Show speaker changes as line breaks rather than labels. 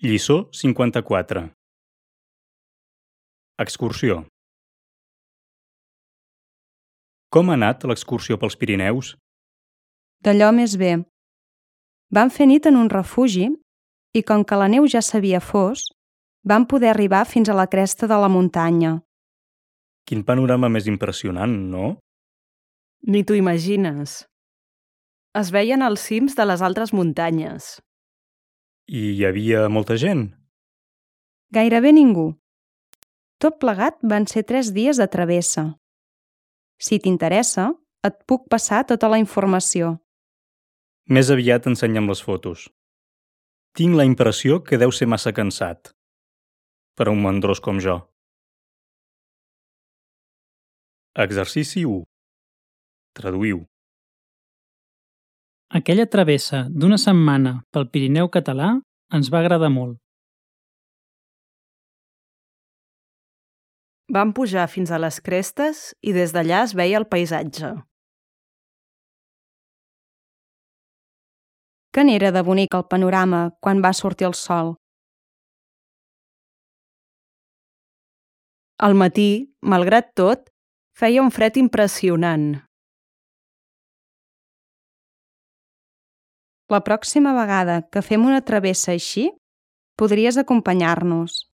Lliçó 54. Excursió. Com ha anat l'excursió pels Pirineus?
D'allò més bé. Vam fer nit en un refugi i com que la neu ja s'havia fos, vam poder arribar fins a la cresta de la muntanya.
Quin panorama més impressionant, no?
Ni t'ho imagines. Es veien els cims de les altres muntanyes.
I hi havia molta gent?
Gairebé ningú. Tot plegat van ser 3 dies de travessa. Si t'interessa, et puc passar tota la informació.
Més aviat ensenya'm les fotos. Tinc la impressió que deu ser massa cansat. Per a un mandrós com jo. Exercici 1. Traduïu.
Aquella travessa d'una setmana pel Pirineu català ens va agradar molt.
Vam pujar fins a les crestes i des d'allà es veia el paisatge.
Que n'era de bonic el panorama quan va sortir el sol.
Al matí, malgrat tot, feia un fred impressionant.
La pròxima vegada que fem una travessa així, podries acompanyar-nos.